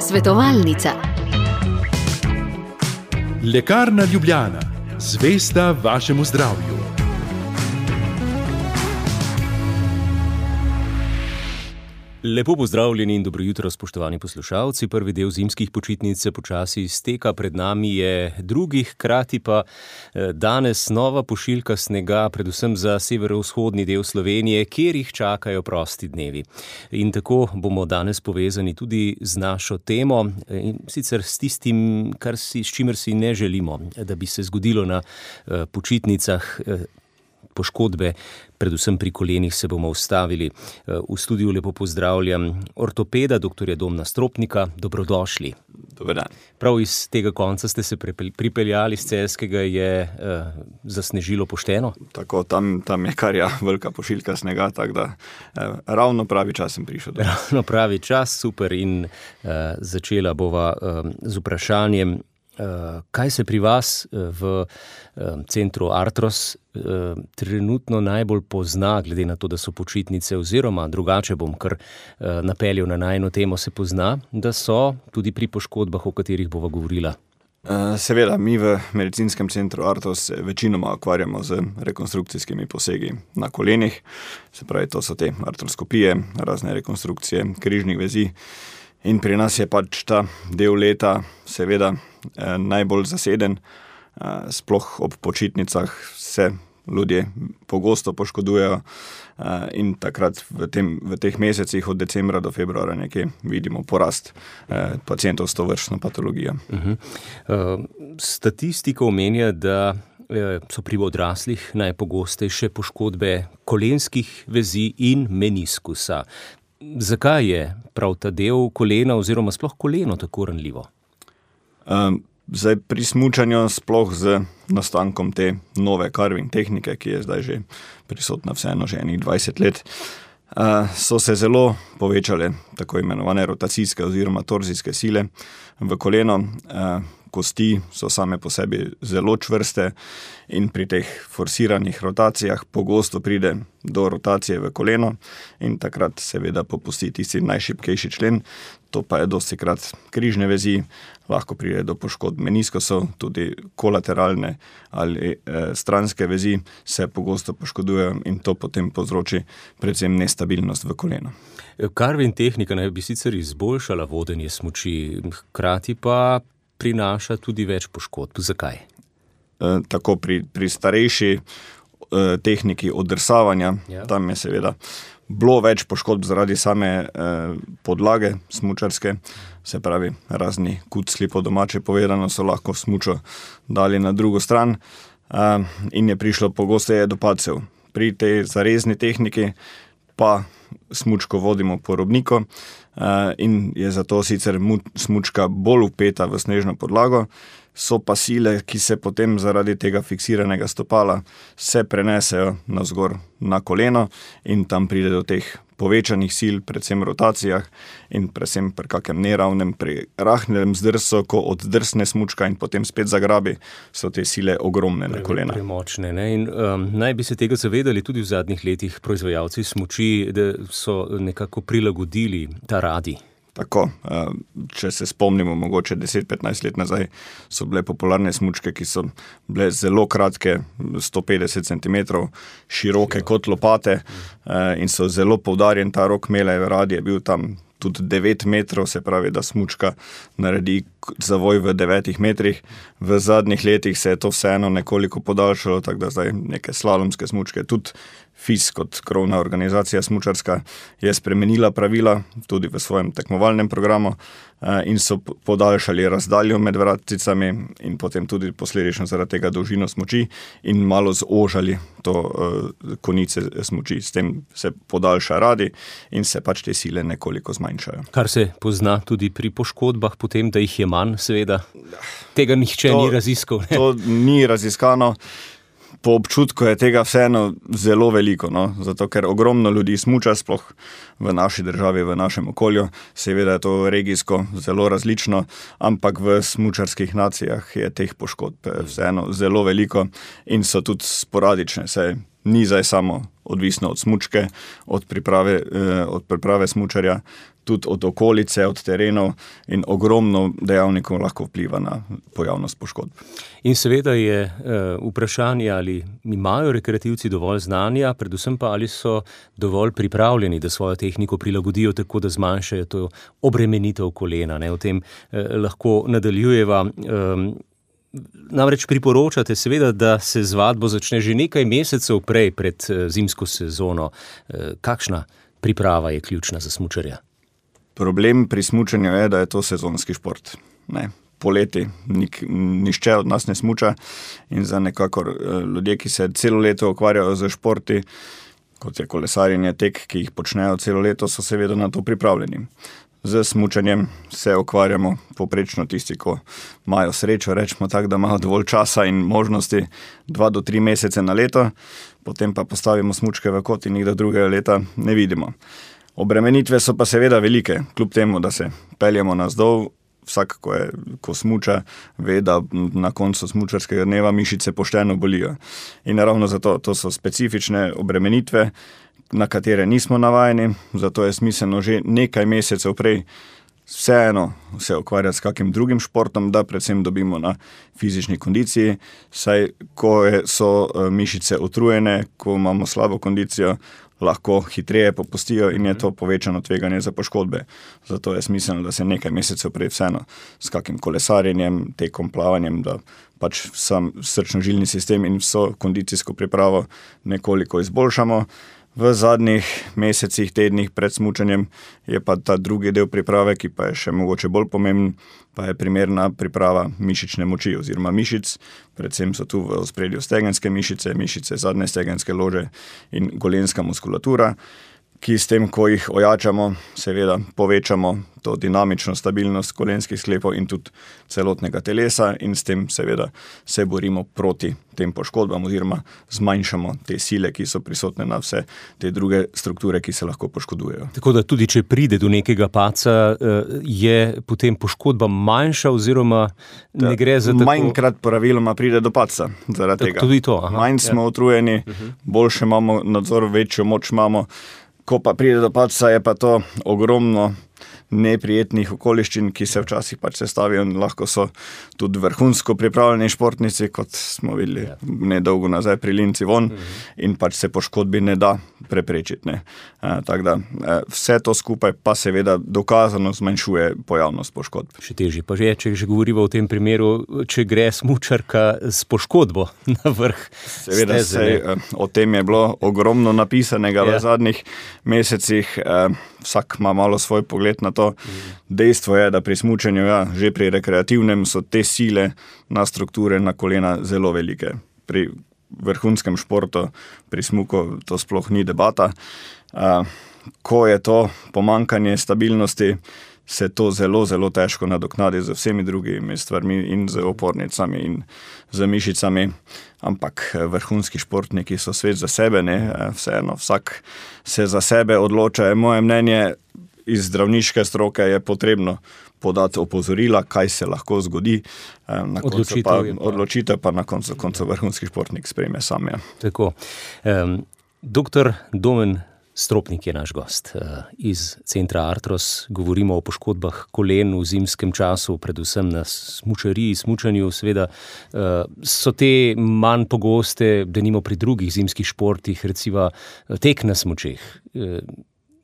Svetovalnica. Lekarna Ljubljana, zvesta vašemu zdravju. Lepo pozdravljeni in dobro jutro, spoštovani poslušalci. Prvi del zimskih počitnic se počasi izteka, pred nami je drugi, hkrati pa danes nova pošiljka snega, predvsem za severovzhodni del Slovenije, kjer jih čakajo prosti dnevi. In tako bomo danes povezani tudi z našo temo, in sicer s tistim, s čimer si ne želimo, da bi se zgodilo na počitnicah. Poškodbe, predvsem pri kolenih, se bomo ustavili. V studiu lepo pozdravljam ortopeda, dr. Domna Stropnika. Dobrodošli. Dober dan. Prav iz tega konca ste se pripeljali, z Celjskega je zasnežilo pošteno? Tako, tam je kar velika pošiljka snega, tako da ravno pravi čas sem prišel. Ravno pravi čas, super. In začela bova z vprašanjem, kaj se pri vas v centru Artros trenutno najbolj pozna, glede na to, da so počitnice, oziroma drugače bom kar napeljal na najino temo, se pozna, da so tudi pri poškodbah, o katerih bova govorila? Seveda, mi v medicinskem centru Artros večinoma ukvarjamo z rekonstrukcijskimi posegi na kolenih, se pravi, to so te artroskopije, razne rekonstrukcije križnih vezi. In pri nas je pač ta del leta seveda najbolj zaseden, sploh ob počitnicah se ljudje pogosto poškodujejo in takrat v teh mesecih od decembra do februarja nekje vidimo porast pacientov s tovrstno patologijo. Statistika omenja, da so pri odraslih najpogostejše poškodbe kolenskih vezi in meniskusa. Zakaj je prav ta del kolena oziroma sploh koleno tako ranljivo? Zdaj pri smučanju, sploh z nastankom te nove carving tehnike, ki je zdaj že prisotna vseeno že enih 20 let, so se zelo povečale tako imenovane rotacijske oziroma torzijske sile v koleno. Kosti so same po sebi zelo čvrste in pri teh forsiranih rotacijah pogosto pride do rotacije v koleno in takrat seveda popusti tisti najšibkejši člen, to pa je dostikrat križne vezi, lahko pride do poškodb meniskosov, tudi kolateralne ali stranske vezi se pogosto poškodujejo in to potem povzroči predvsem nestabilnost v koleno. Carving tehnika naj bi sicer izboljšala vodenje smuči, hkrati pa prinaša tudi več poškodb. Zakaj? Tako pri starejši tehniki oddrsavanja, tam je seveda bilo več poškodb zaradi same podlage smučarske, se pravi razni kucli po domače povedano so lahko smučo dali na drugo stran in je prišlo pogosteje do padcev. Pri tej zarezni tehniki pa smučko vodimo po robniku in je zato sicer smučka bolj vpeta v snežno podlago, so pa sile, ki se potem zaradi tega fiksiranega stopala se prenesejo navzgor na koleno in tam pride do teh povečanih sil, predvsem rotacijah in predvsem pri kakem neravnem, pri rahnem zdrsu, ko oddrsne smučka in potem spet zagrabi, so te sile ogromne na kolena. Premočne, ne? In naj bi se tega zavedali tudi v zadnjih letih proizvajalci smuči, da so nekako prilagodili ta radi. Tako, če se spomnimo, mogoče 10-15 let nazaj so bile popularne smučke, ki so bile zelo kratke, 150 cm, široke kot lopate in so zelo poudarjen ta rok imele, rad je bil tam tudi 9 metrov, se pravi, da smučka naredi zavoj v 9 metrih. V zadnjih letih se je to vseeno nekoliko podaljšalo, tako da zdaj neke slalomske smučke, tudi FIS kot krovna organizacija smučarska je spremenila pravila tudi v svojem tekmovalnem programu in so podaljšali razdaljo med vratcicami in potem tudi posledično zaradi tega dolžino smuči in malo zožali to konice smuči. S tem se podaljša radi in se pač te sile nekoliko zmanjšajo. Kar se pozna tudi pri poškodbah, potem, da jih je manj, seveda. Tega nihče ni raziskal. Ne? To ni raziskano. Po občutku je tega vseeno zelo veliko, no? Zato ker ogromno ljudi smuča, sploh v naši državi, v našem okolju. Seveda je to regijsko zelo različno, ampak v smučarskih nacijah je teh poškodb vseeno zelo veliko in so tudi sporadične. Saj ni zdaj samo odvisno od smučke, od priprave smučarja, tudi od okolice, od terenov in ogromno dejavnikov lahko vpliva na pojavnost poškodb. In seveda je vprašanje, ali imajo rekreativci dovolj znanja, predvsem pa ali so dovolj pripravljeni, da svojo tehniko prilagodijo tako, da zmanjšajo to obremenitev kolena. O tem lahko nadaljujeva. Namreč priporočate seveda, da se z vadbo začne že nekaj mesecev prej pred zimsko sezono. Kakšna priprava je ključna za smučarja? Problem pri smučanju je, da je to sezonski šport. Poleti nišče od nas ne smuča in za nekakor ljudje, ki se celo leto ukvarjajo z športi, kot je kolesarjenje, tek, ki jih počnejo celo leto, so seveda na to pripravljeni. Z smučanjem se ukvarjamo poprečno tisti, ko imajo srečo, rečemo tako, da imajo dovolj časa in možnosti 2 do 3 mesece na leto, potem pa postavimo smučke v kot in jih do drugega leta ne vidimo. Obremenitve so pa seveda velike, kljub temu, da se peljemo navzdol, vsak, ko smuča, ve, da na koncu smučarskega dneva mišice pošteno bolijo. In ravno zato, to so specifične obremenitve, na katere nismo navajeni, zato je smiselno že nekaj mesecev prej vseeno se ukvarjati s kakim drugim športom, da predvsem dobimo na fizični kondiciji, saj ko so mišice utrujene, ko imamo slabo kondicijo, lahko hitreje popustijo in je to povečano tveganje za poškodbe. Zato je smiselno, da se nekaj mesecev prej vseeno s kakim kolesarjenjem, tekom, plavanjem, da pač sam srčno-žilni sistem in vso kondicijsko pripravo nekoliko izboljšamo. V zadnjih mesecih, tednih pred smučanjem je pa ta drugi del priprave, ki pa je še mogoče bolj pomemben, pa je primerna priprava mišične moči oziroma mišic. Predvsem so tu v ospredju stegenske mišice, mišice zadnje stegenske lože in golenska muskulatura, ki s tem, ko jih ojačamo, seveda povečamo to dinamično stabilnost kolenskih sklepov in tudi celotnega telesa in s tem seveda se borimo proti tem poškodbam oziroma zmanjšamo te sile, ki so prisotne na vse te druge strukture, ki se lahko poškodujejo. Tako da tudi, če pride do nekega padca, je potem poškodba manjša oziroma ne gre za tako... Manjkrat praviloma pride do padca zaradi tega. Tudi to, manj smo utrujeni, boljše imamo nadzor, večjo moč imamo. Ko pa pride do padca, je pa to ogromno neprijetnih okoliščin, ki se včasih pač sestavijo in lahko so tudi vrhunsko pripravljeni športnici, kot smo videli nedolgo nazaj pri Linci von, in pač se poškodbi ne da preprečiti. Tako da vse to skupaj pa seveda dokazano zmanjšuje pojavnost poškodb. Še težje pa že, če že govorimo o tem primeru, če gre smučarka s poškodbo na vrh seveda steze. O tem je bilo ogromno napisanega v zadnjih mesecih. Vsak ima malo svoj pogled na to. Dejstvo je, da pri smučanju, že pri rekreativnem so te sile na strukture, na kolena zelo velike. Pri vrhunskem športu, pri smuku to sploh ni debata. Ko je to pomanjkanje stabilnosti, se to zelo, zelo težko nadoknadi z vsemi drugimi stvarmi in z opornicami in z mišicami. Ampak vrhunski športniki so svet za sebe, vseeno vsak se za sebe odloča. Moje mnenje iz zdravniške stroke je potrebno podati opozorila, kaj se lahko zgodi. Odločitev pa na koncu vrhunski športnik sprejme sam. Tako. Doktor Domen Stropnik je naš gost iz centra Artros. Govorimo o poškodbah kolen v zimskem času, predvsem na smučanju. Seveda so te manj pogoste, denimo pri drugih zimskih športih, recimo tek na smučeh.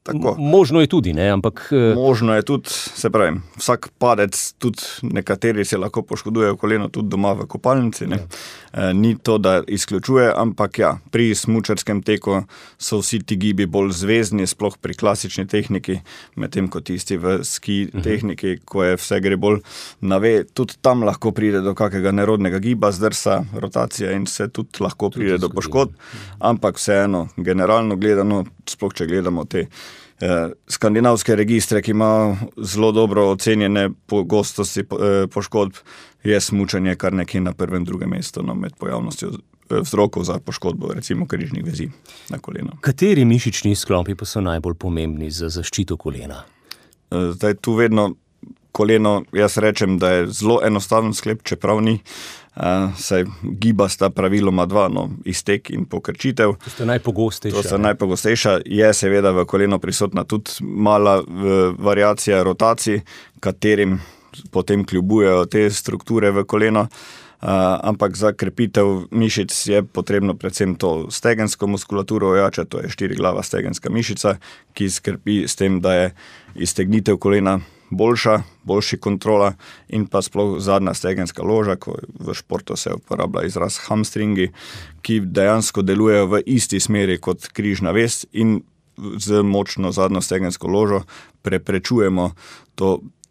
Tako. Možno je tudi, ampak... Možno je tudi, se pravi, vsak padec, tudi nekateri se lahko poškodujejo koleno tudi doma v kopalnici. Ni to, da izključuje, ampak pri smučarskem teku so vsi ti gibi bolj zvezni, sploh pri klasični tehniki, medtem ko tisti v ski tehniki, ko je vse gre bolj na ve, tudi tam lahko pride do kakega nerodnega giba, zdrsa, rotacije in se tudi lahko pride do poškodb, ampak vseeno, generalno gledano, sploh če gledamo te skandinavske registre, ki ima zelo dobro ocenjene pogostosti poškodb, je smučanje kar nekje na prvem, drugem mestu med pojavnostjo vzrokov za poškodbo, recimo križnih vezi na koleno. Kateri mišični sklopi pa so najbolj pomembni za zaščito kolena? Zdaj tu vedno koleno, jaz rečem, da je zelo enostaven sklep, čeprav ni. Saj giba sta praviloma dva, iztek in pokrčitev. To sta najpogostejša. To sta najpogostejša. Je seveda v koleno prisotna tudi mala variacija rotacij, katerim potem kljubujejo te strukture v koleno. Ampak za krepitev mišic je potrebno predvsem to stegensko muskulaturo ojačati, to je 4-glava stegenska mišica, ki skrbi s tem, da je iztegnitev kolena boljši kontrola in pa sploh zadnja stegenska loža, ko v športu se uporablja izraz hamstringi, ki dejansko delujejo v isti smeri kot križna vez in z močno zadnjo stegensko ložo preprečujemo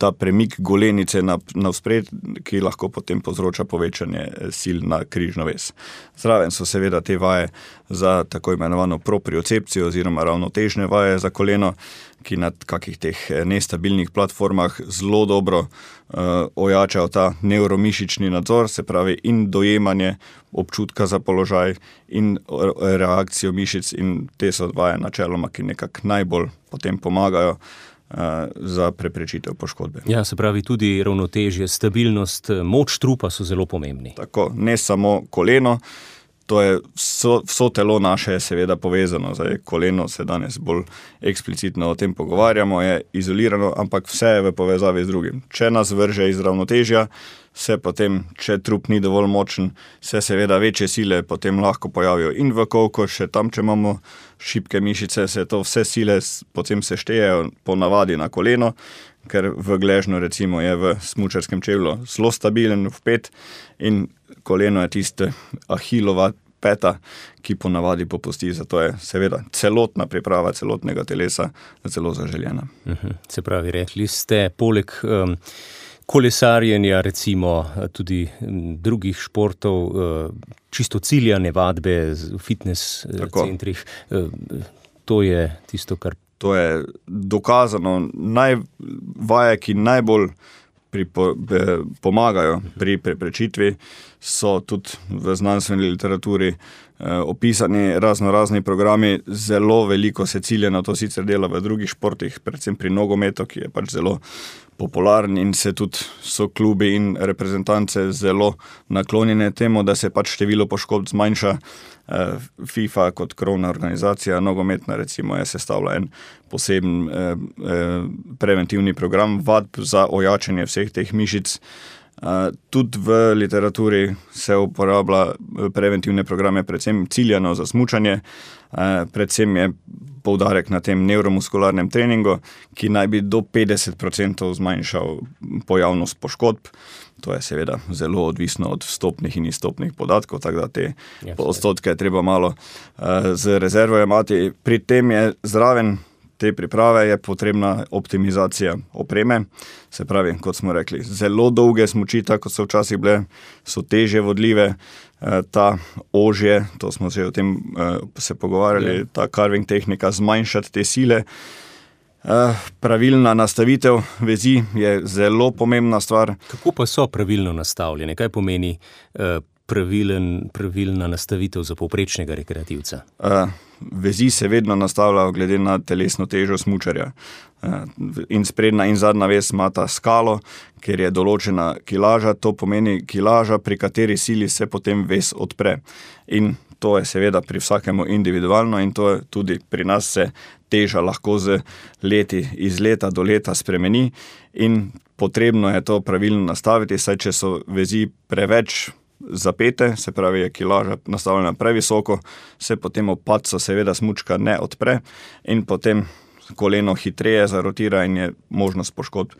ta premik golenice navspred, ki lahko potem povzroča povečanje sil na križno vez. Zraven so seveda te vaje za tako imenovano propriocepcijo oziroma ravnotežne vaje za koleno, ki na kakih teh nestabilnih platformah zelo dobro ojačajo ta nevromišični nadzor, se pravi in dojemanje občutka za položaj in reakcijo mišic, in te so vaje načeloma, ki nekako najbolj potem pomagajo za preprečitev poškodbe. Ja, se pravi tudi ravnotežje, stabilnost, moč trupa so zelo pomembni. Tako, ne samo koleno, to je vso telo naše je seveda povezano. Zdaj, koleno se danes bolj eksplicitno o tem pogovarjamo, je izolirano, ampak vse je v povezavi z drugim. Če nas vrže iz ravnotežja, se potem, če trup ni dovolj močen, se seveda večje sile potem lahko pojavijo in v kolko, še tam, če imamo šibke mišice, se to vse sile potem se štejejo po navadi na koleno, ker v gležnju recimo je v smučarskem čevlju zelo stabilen vpet in koleno je tiste ahilova peta, ki po navadi popusti, zato je seveda celotna priprava celotnega telesa zelo zaželjena. Se pravi, rekli ste, poleg kolesarjenja, recimo tudi drugih športov, čisto ciljane vadbe v fitness centrih, to je tisto, kar... To je dokazano, vaje, ki najbolj pomagajo pri preprečitvi, so tudi v znanstveni literaturi opisani razni programi, zelo veliko se cilja na to sicer dela v drugih športih, predvsem pri nogometu, ki je pač zelo popularen in se tudi so klubi in reprezentance zelo naklonjene temu, da se pač število poškodb zmanjša. FIFA kot krovna organizacija nogometna recimo je sestavila en poseben preventivni program vadb za ojačanje vseh teh mišic. Tudi v literaturi se uporablja preventivne programe predvsem ciljano za smučanje, predvsem je poudarek na tem nevromuskularnem treningu, ki naj bi do 50% zmanjšal pojavnost poškodb. To je seveda zelo odvisno od vstopnih in izstopnih podatkov, tako da te odstotke je treba malo z rezervo imati. Pri tem je zraven te priprave je potrebna optimizacija opreme, se pravi, kot smo rekli, zelo dolge smučita, kot so včasih bile, so težje vodljive, ta ožje, to smo se o tem se pogovarjali, ta carving tehnika, zmanjšati te sile. Pravilna nastavitev vezi je zelo pomembna stvar. Kako pa so pravilno nastavljene? Kaj pomeni pravilna nastavitev za povprečnega rekreativca? Vezi se vedno nastavljajo glede na telesno težo smučarja. In sprednja in zadnja vez imata skalo, ker je določena kilaža, to pomeni kilaža, pri kateri sili se potem vez odpre. In to je seveda pri vsakemu individualno in to je tudi pri nas se teža lahko z leti, iz leta do leta spremeni in potrebno je to pravilno nastaviti, saj če so vezi preveč zapete, se pravi je kilaža nastavljena previsoko, se potem ob padcu seveda smučka ne odpre in potem koleno hitreje zarotira in je možnost poškodb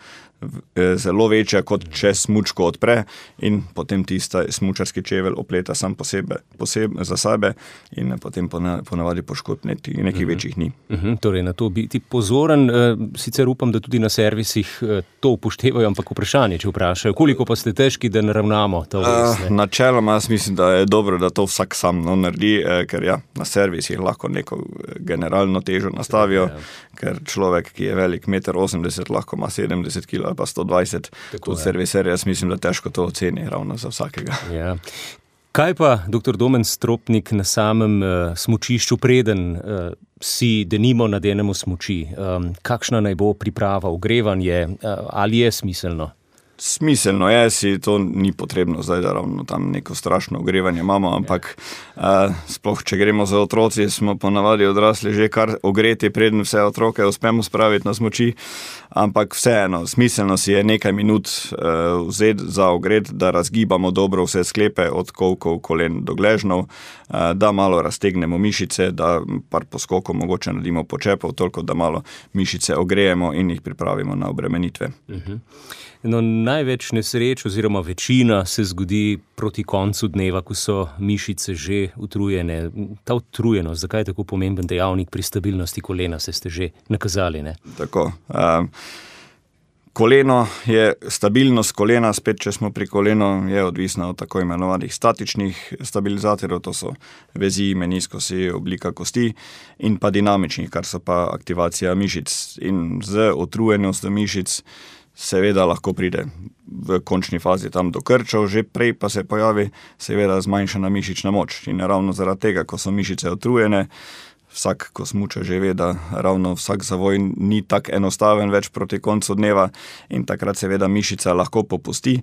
zelo večja, kot če smučko odpre in potem tista smučarski čevelj opleta sam posebej za sebe in potem ponavadi poškodb nekih večjih ni. Torej na to biti pozoren, sicer upam, da tudi na servisih to upoštevajo, ampak vprašanje, če vprašajo, koliko pa ste težki, da naravnamo to vez? Načeloma jaz mislim, da je dobro, da to vsak sam naredi, ker na servisih lahko neko generalno težo nastavijo, ker človek, ki je velik 1,80 m, lahko ima 70 kg ali pa 120, kot serviser, jaz mislim, da težko to oceni ravno za vsakega. Ja. Kaj pa, dr. Domen Stropnik, na samem smučišču, preden si denimo nadenemo smuči? Kakšna naj bo priprava, ogrevanje, ali je smiselno? Smiselno je, si to ni potrebno zdaj, da ravno tam neko strašno ogrevanje imamo, ampak sploh, če gremo za otroci, smo ponavadi odrasli že kar ogreti, preden vse otroke uspemo spraviti na smuči, ampak vseeno, smiselno si je nekaj minut vzeti za ogret, da razgibamo dobro vse sklepe, od kolkov, kolen do gležnov, da malo raztegnemo mišice, da par poskokov mogoče naredimo počepov, toliko da malo mišice ogrejemo in jih pripravimo na obremenitve. No, največ nesreč oziroma večina se zgodi proti koncu dneva, ko so mišice že utrujene. Ta utrujenost, zakaj je tako pomemben dejavnik pri stabilnosti kolena, se ste že nakazali, ne? Tako. Koleno je, stabilnost kolena, spet če smo pri kolenu, je odvisna od tako imenovanih statičnih stabilizatorjev, to so vezi, meniskosi, oblika kosti, in pa dinamičnih, kar so pa aktivacija mišic. In z utrujenostjo mišic seveda lahko pride v končni fazi tam do krčev, že prej pa se pojavi seveda zmanjšana mišična moč. In ravno zaradi tega, ko so mišice utrujene, vsak, ko smuča, že ve, da ravno vsak zavoj ni tak enostaven več proti koncu dneva in takrat seveda mišica lahko popusti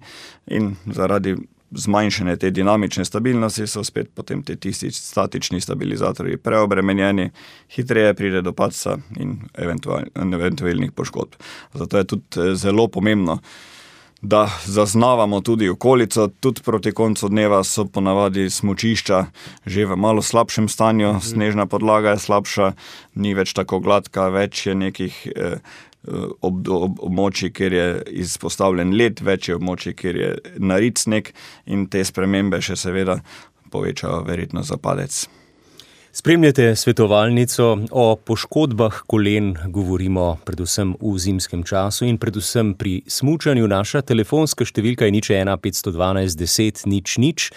in zaradi zmanjšane te dinamične stabilnosti so spet potem te tisti statični stabilizatorji preobremenjeni, hitreje pride do padca in eventualnih poškodb. Zato je tudi zelo pomembno, da zaznavamo tudi okolico, tudi proti koncu dneva so ponavadi smučišča že v malo slabšem stanju, snežna podlaga je slabša, ni več tako gladka, več je nekih območij, kjer je izpostavljen led, več je območij, kjer je narit sneg in te spremembe še seveda povečajo verjetnost za padec. Spremljate svetovalnico o poškodbah kolen, govorimo predvsem v zimskem času in predvsem pri smučanju. Naša telefonska številka je 01 512 10 00,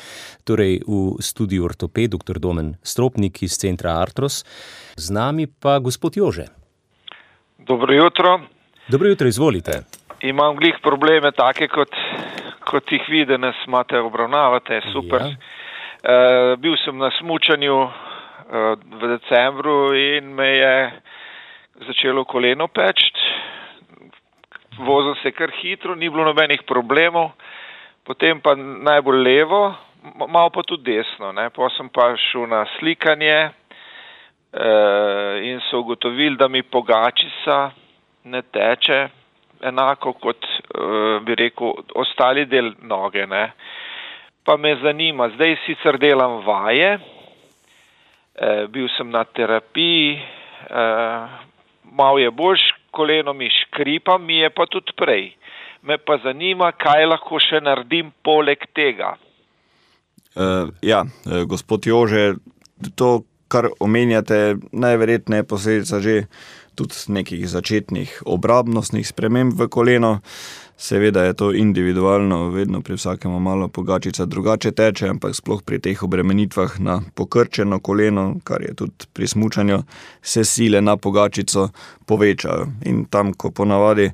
torej v studiu ortoped dr. Domen Stropnik iz centra Artros. Z nami pa gospod Jože. Dobro jutro. Dobro jutro, izvolite. Imam glih probleme take, kot jih vi danes imate, obravnavate, super. Ja. Bil sem na smučanju v decembru in me je začelo koleno peči. Vozil se kar hitro, ni bilo nobenih problemov, potem pa najbolj levo, malo pa tudi desno, ne. Potem sem pa šel na slikanje in so ugotovili, da mi pogačica ne teče enako kot, bi rekel, ostali del noge, ne. Pa me zanima, zdaj sicer delam vaje, bil sem na terapiji, malo je boljš, koleno mi škripa, mi je pa tudi prej. Me pa zanima, kaj lahko še naredim poleg tega. Gospod Jože, to, kar omenjate, najverjetneje posledica že tudi nekih začetnih obrabnostnih sprememb v koleno. Seveda je to individualno, vedno pri vsakemu malo pogačica drugače teče, ampak sploh pri teh obremenitvah na pokrčeno koleno, kar je tudi pri smučanju, se sile na pogačico povečajo. In tam, ko ponavadi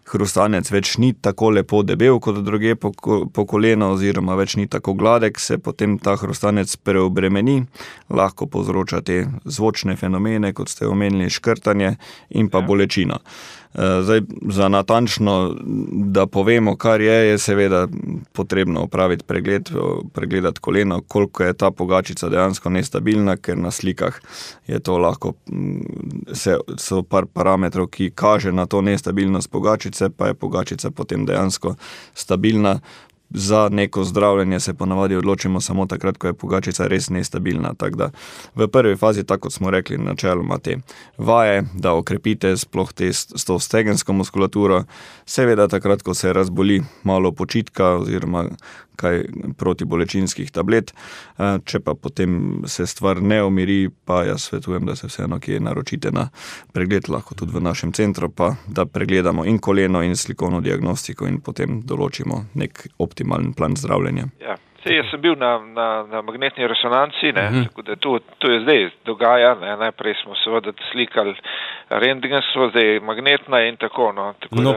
hrustanec več ni tako lepo debel kot druge po koleno oziroma več ni tako gladek, se potem ta hrustanec preobremeni, lahko povzroča te zvočne fenomene, kot ste omenili, škrtanje in pa bolečino. Zdaj, za natančno, da povemo, kar je seveda potrebno opraviti pregled, pregledati koleno, koliko je ta pogačica dejansko nestabilna, ker na slikah je to lahko, so par parametrov, ki kaže na to nestabilnost pogačice, pa je pogačica potem dejansko stabilna. Za neko zdravljenje se ponavadi odločimo samo takrat, ko je pogačica res nestabilna. Tako da v prvi fazi, tako kot smo rekli, načeloma te vaje, da okrepite sploh s to stegensko muskulaturo, seveda takrat, ko se razboli, malo počitka oziroma kaj protibolečinskih tablet. Če pa potem se stvar ne umiri, pa jaz svetujem, da se vseeno kje naročite na pregled, lahko tudi v našem centru, pa da pregledamo in koleno in slikovno diagnostiko in potem določimo nek optimalen plan zdravljenja. Ja, Jaz sem bil na magnetni resonanci, tako da to je zdaj dogaja, najprej smo seveda slikali rentgensko, zdaj magnetna in tako.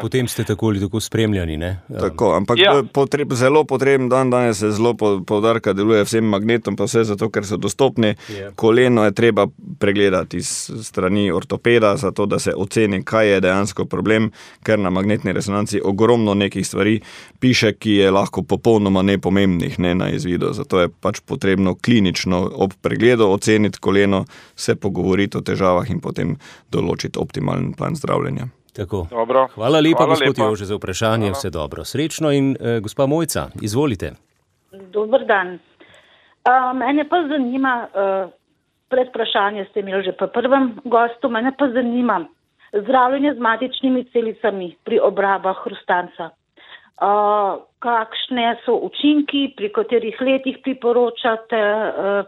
Potem ste tako ali tako spremljani, ne? Tako, ampak zelo potreben danes se zelo poudarka deluje vsem magnetom, pa vse zato, ker so dostopni. Koleno je treba pregledati iz strani ortopeda, zato da se oceni, kaj je dejansko problem, ker na magnetni resonanci ogromno nekih stvari piše, ki je lahko popolnoma nepomembnih, ne na izvidu. Zato je pač potrebno klinično ob pregledu oceniti koleno, se pogovoriti o težavah in potem določiti optimalen plan zdravljenja. Tako. Dobro. Hvala lepa, gospod Jože, za vprašanje. Vse dobro. Srečno in gospa Mojca, izvolite. Dober dan. Mene pa zanima, predvprašanje ste imeli že po prvem gostu, mene pa zanima zdravljenje z matičnimi celicami pri obrabah hrustanca. Kakšne so učinki, pri katerih letih priporočate,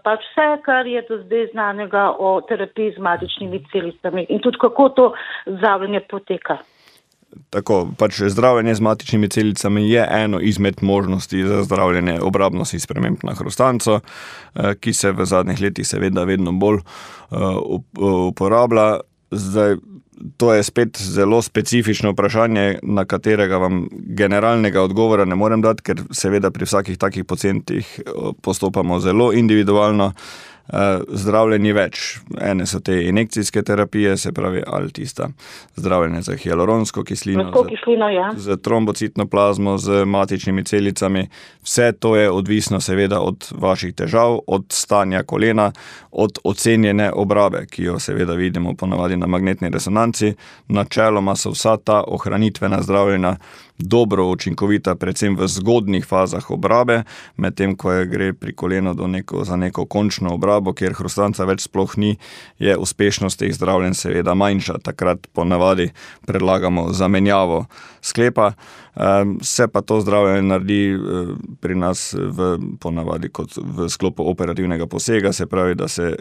pač vse, kar je do zdaj znanega o terapiji z matičnimi celicami in tudi kako to zdravljenje poteka. Tako, pač zdravljenje z matičnimi celicami je eno izmed možnosti za zdravljenje obrabnosti sprememb na hrustanco, ki se v zadnjih letih seveda vedno bolj uporablja. Zdaj, to je spet zelo specifično vprašanje, na katerega vam generalnega odgovora ne morem dati, ker seveda pri vsakih takih pacientih postopamo zelo individualno. Zdravljenje več. Ene so te injekcijske terapije, se pravi ali tista zdravljenje za hialuronsko kislino, z trombocitno plazmo, z matičnimi celicami. Vse to je odvisno seveda od vaših težav, od stanja kolena, od ocenjene obrabe, ki jo seveda vidimo ponavadi na magnetni resonanci. Načeloma so vsa ta ohranitvena zdravljenja dobro učinkovita, predvsem v zgodnih fazah obrabe, medtem ko gre pri kolenu za neko končno obrabo, kjer hrustanca več sploh ni, je uspešnost teh zdravljenj seveda manjša. Takrat ponavadi predlagamo zamenjavo sklepa. Se pa to zdravljenje naredi pri nas ponavadi kot v sklopu operativnega posega, se pravi, da se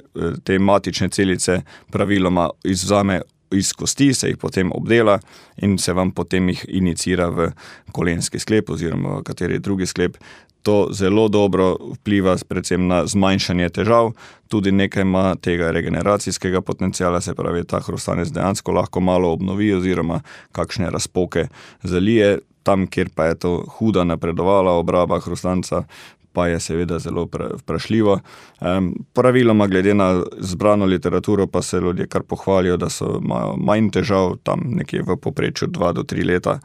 te matične celice praviloma izvzame iz kosti, se jih potem obdela in se vam potem jih inicira v kolenski sklep oziroma kateri drugi sklep. To zelo dobro vpliva predvsem na zmanjšanje težav, tudi nekaj ima tega regeneracijskega potenciala, se pravi, ta hrustanec dejansko lahko malo obnovi oziroma kakšne razpoke zalije. Tam, kjer pa je to huda napredovala obraba hrustanca, pa je seveda zelo vprašljivo. Praviloma, glede na zbrano literaturo, pa se ljudje kar pohvalijo, da imajo manj težav, tam nekje v povprečju 2 do 3 leta,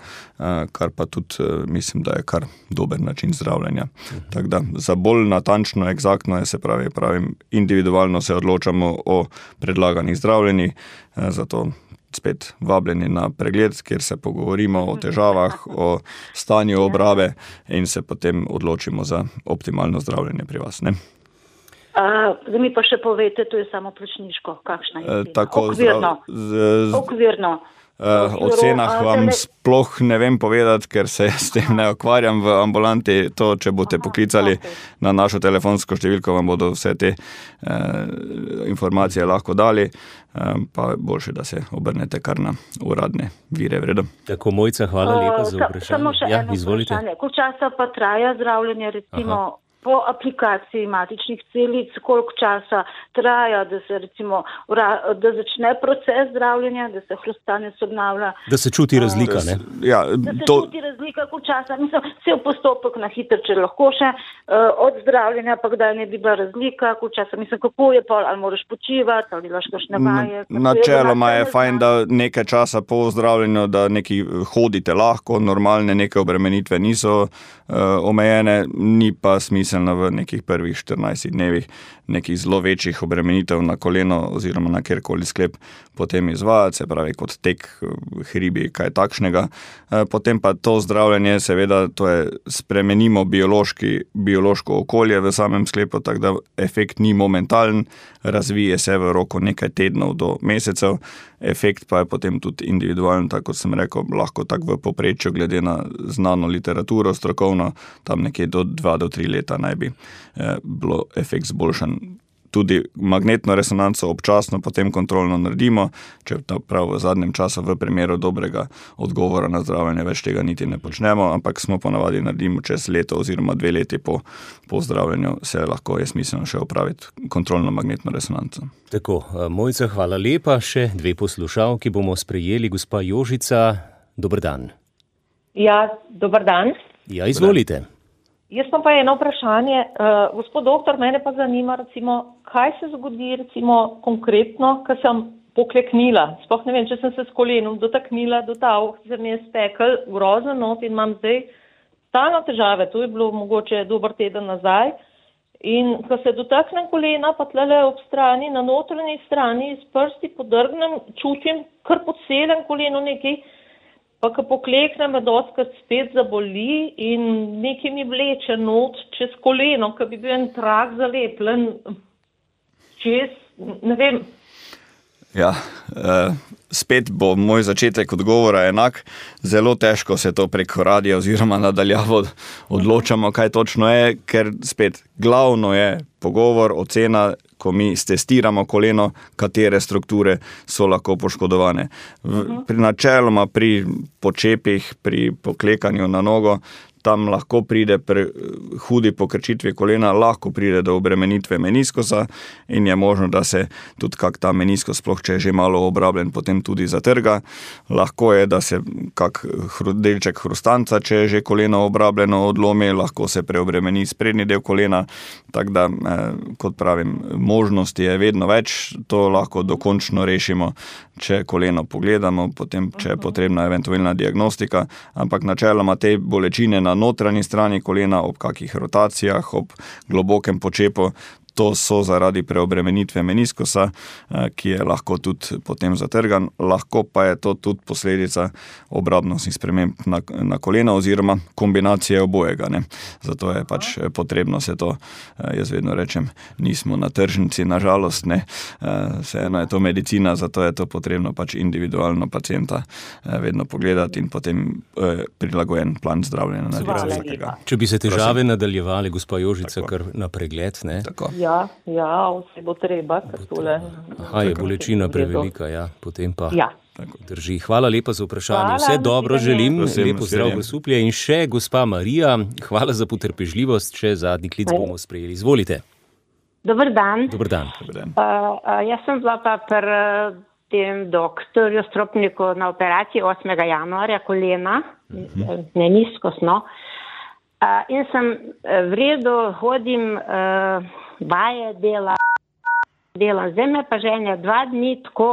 kar pa tudi mislim, da je kar dober način zdravljenja. Tako da za bolj natančno, eksaktno je, se pravi, individualno se odločamo o predlaganih zdravljenjih, zato spet vabljeni na pregled, kjer se pogovorimo o težavah, o stanju obrabe in se potem odločimo za optimalno zdravljenje pri vas. Zdaj mi pa še povete, to je samo plačniško, kakšna je cena? Okvirno. O cenah vam sploh ne vem povedati, ker se s tem ne ukvarjam v ambulanti. To, če boste poklicali na našo telefonsko številko, vam bodo vse te informacije lahko dali, pa boljše, da se obrnete kar na uradne vire. Vredo. Tako, Mojca, hvala lepa za vprašanje. Samo še eno vprašanje. Koliko časa pa traja zdravljenje, recimo po aplikaciji matičnih celic, koliko časa traja, da se recimo, da začne proces zdravljenja, da se hrustanec obnavlja. Da se čuti razlika, ne? Da se čuti razlika, koliko časa. Mislim, cel postopek na hitro, če lahko še od zdravljenja, pa kdaj ne bi bila razlika, koliko časa. Mislim, kako je pol, ali moraš počivati, ali delaš kakšne vaje. Načeloma je fajn, da nekaj časa po zdravljenju, da neki hodite lahko, normalne neke obremenitve niso omejene, ni pa smiselno v nekih prvih 14 dnevih nekih zelo večjih obremenitev na koleno oziroma na kjerkoli sklep potem izvajati, se pravi kot tek, hribi, kaj takšnega. Potem pa to zdravljenje, seveda, to je spremenimo biološko okolje v samem sklepu, tako da efekt ni momentalen, razvije se v roku nekaj tednov do mesecev, efekt pa je potem tudi individualen, tako kot sem rekel, lahko tako v povprečju glede na znano literaturo strokovno, tam nekje do 2 do 3 leta naj bi bilo efekt zboljšan. tudi magnetno resonanco občasno potem kontrolno naredimo, če prav v zadnjem času v primeru dobrega odgovora na zdravljenje več tega niti ne počnemo, ampak smo ponavadi naredimo čez leto oziroma 2 leti po zdravljenju se lahko je smiselno še opraviti kontrolno magnetno resonanco. Tako, Mojca, hvala lepa. Še 2 poslušalki bomo sprejeli. Gospa Jožica, dober dan. Ja, dober dan. Ja, izvolite. Jaz pa eno vprašanje. Gospod doktor, mene pa zanima, recimo, kaj se zgodi, recimo, konkretno, ko sem pokleknila. Sploh ne vem, če sem se s kolenom dotaknila do ta, se mi je stekel grozen not in imam zdaj stalno težave. To je bilo mogoče dober teden nazaj. In ko se dotaknem kolena, pa tlele ob strani, na notranji strani, s prsti podrgnem, čutim kar pod celem kolenu nekaj, pa ko pokleknem, me dostikrat spet zaboli in nekaj mi vleče not čez koleno, ko bi bil en trak zalepljen čez, ne vem. Ja, spet bo moj začetek odgovora enak. Zelo težko se to preko radia oziroma nadaljavo odločamo, kaj točno je, ker spet glavno je pogovor, ocena, ko mi stestiramo koleno, katere strukture so lahko poškodovane. Načeloma pri počepih, pri poklekanju na nogo, tam lahko pride pri hudi pokrčitvi kolena, lahko pride do obremenitve meniskosa in je možno, da se tudi kak ta meniskos, sploh če je že malo obrabljen, potem tudi zatrga. Lahko je, da se kak delček hrustanca, če je že koleno obrabljeno, odlomi, lahko se preobremeni sprednji del kolena, tako da, kot pravim, možnosti je vedno več, to lahko dokončno rešimo, če koleno pogledamo, potem, če je potrebna eventualna diagnostika, ampak načeloma te bolečine na notranji strani kolena, ob kakih rotacijah, ob globokem počepu, to so zaradi preobremenitve meniskosa, ki je lahko tudi potem zatrgan, lahko pa je to tudi posledica obrabnostnih sprememb na kolena oziroma kombinacije obojega. Ne. Zato je pač potrebno se to, jaz vedno rečem, nismo na tržnici, nažalost, ne. Vseeno je to medicina, zato je to potrebno pač individualno pacienta vedno pogledati in potem prilagojen plan zdravljenja narediti vsakega. Če bi se težave nadaljevali, gospa Jožica, kar na pregled, ne? Tako. Ja, vse bo treba. Aha, je bolečina prevelika, ja, potem pa drži. Hvala lepa za vprašanje. Vse dobro želim, lepo zdrav Grosuplje in še gospa Marija, hvala za potrpežljivost, še zadnji klic bomo sprejeli. Izvolite. Dober dan. Dober dan. Jaz sem bila pa pri tem doktorju Stropniku na operaciji 8. januarja kolena, meniskosno. In sem v redu, hodim vaje, delam. Zdaj me pa ženja 2 dni tako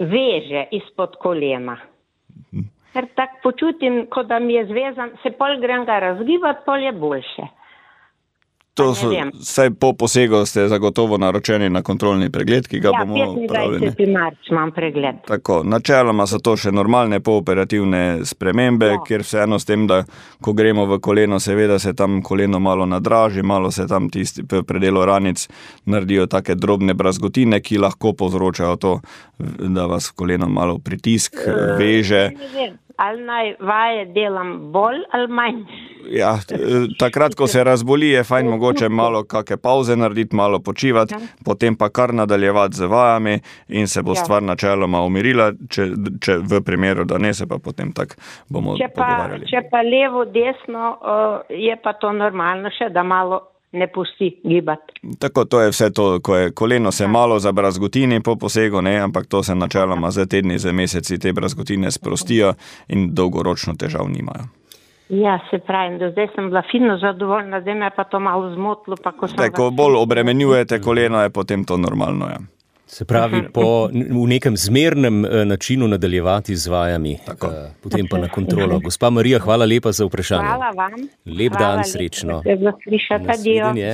veže izpod kolena. Ker tako počutim, kot da mi je zvezan, se pol grem ga razgibati, pol je boljše. To so, vsaj po posegu ste zagotovo naročeni na kontrolni pregled, ki ga bomo opravljeni. 25. marc imam pregled. Tako, načeloma so to še normalne pooperativne spremembe, kjer vseeno s tem, da ko gremo v koleno, seveda se tam koleno malo nadraži, malo se tam tisti v predelu ranic naredijo take drobne brazgotine, ki lahko povzročajo to, da vas koleno malo pritisk veže. Ali naj vaje delam bolj ali manj? Ja, takrat, ko se razboli, je fajn mogoče malo kakšne pauze narediti, malo počivati, potem pa kar nadaljevati z vajami in se bo stvar načeloma umirila, če v primeru, da ne, se pa potem tak bomo pogovarjali. Če pa levo, desno, je pa to normalno še, da malo ne pusti gibati. Tako, to je vse to, ko je koleno se malo zabrazgotini po posegu, ne, ampak to se načeloma za tedni, za meseci te brazgotine sprostijo in dolgoročno težav nimajo. Ja, se pravim, do zdaj sem bila fino zadovoljna, zdaj me pa to malo zmotilo. Ko bolj obremenjujete koleno, je potem to normalno, ja. Se pravi, v nekem zmernem načinu nadaljevati z vajami, potem pa na kontrolo. Gospa Marija, hvala lepa za vprašanje. Hvala vam. Lep dan, srečno. Nasvidenje.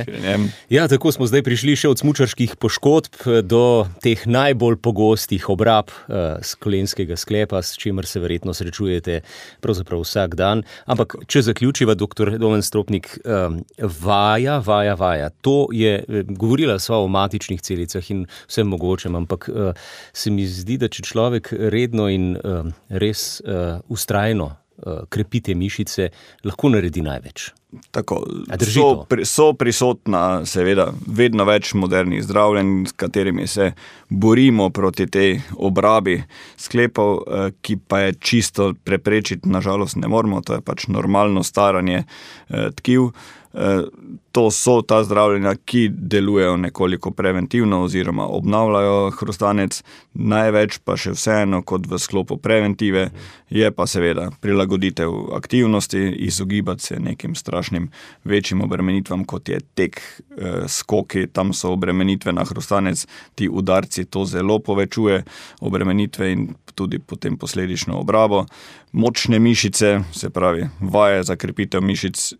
Ja, tako smo zdaj prišli še od smučarskih poškodb do teh najbolj pogostih obrab kolenskega sklepa, s čimer se verjetno srečujete pravzaprav vsak dan. Ampak, če zaključiva, doktor Domen Stropnik, vaja. To je, govorila sva o matičnih celicah in vsem mogoče, ampak se mi zdi, da če človek redno in res vztrajno krepi te mišice, lahko naredi največ. Tako, so prisotna, seveda, vedno več modernih zdravljenj, s katerimi se borimo proti tej obrabi sklepov, ki pa je čisto preprečiti, nažalost ne moremo, to je pač normalno staranje tkiv. To so ta zdravljenja, ki delujejo nekoliko preventivno oziroma obnavljajo hrustanec, največ pa še vseeno kot v sklopu preventive je pa seveda prilagoditev aktivnosti, izogibati se nekim strašnim večjim obremenitvam, kot je tek, skoki, tam so obremenitve na hrustanec, ti udarci to zelo povečuje, obremenitve in tudi potem posledično obrabo. Močne mišice, se pravi vaje za krepitev mišic,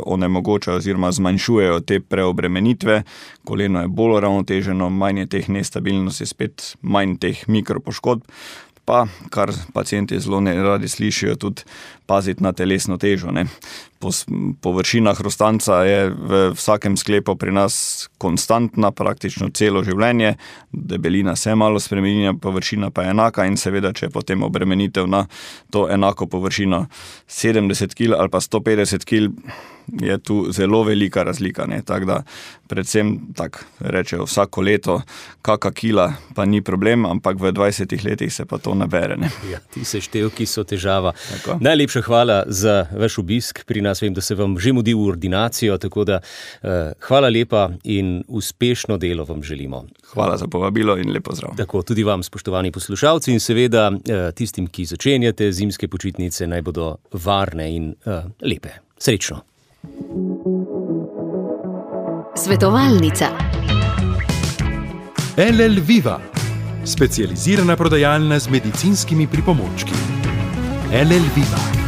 onemogočajo oziroma zmanjšujejo te preobremenitve, koleno je bolj ravnoteženo, manj je teh nestabilnosti, spet manj teh mikropoškodb, pa, kar pacienti zelo neradi slišijo, tudi paziti na telesno težo. Ne. Površina hrustanca je v vsakem sklepu pri nas konstantna, praktično celo življenje, debelina se malo spremenja, površina pa je enaka in seveda, če je potem obremenitev na to enako površino 70 kg ali pa 150 kg, je tu zelo velika razlika. Tako da predvsem rečejo vsako leto, kaka kila pa ni problem, ampak v 20 letih se pa to nabere. Ne. Ja, ti seštevki so težava. Tako. Najlepša hvala za vaš obisk pri nas. Vem, da se vam že mudi v ordinacijo, tako da hvala lepa in uspešno delo vam želimo. Hvala za povabilo in lep pozdrav. Tako, tudi vam, spoštovani poslušalci, in seveda tistim, ki začenjate zimske počitnice, naj bodo varne in lepe. Srečno. Svetovalnica. LL Viva, specializirana prodajalna z medicinskimi pripomočki. LL Viva.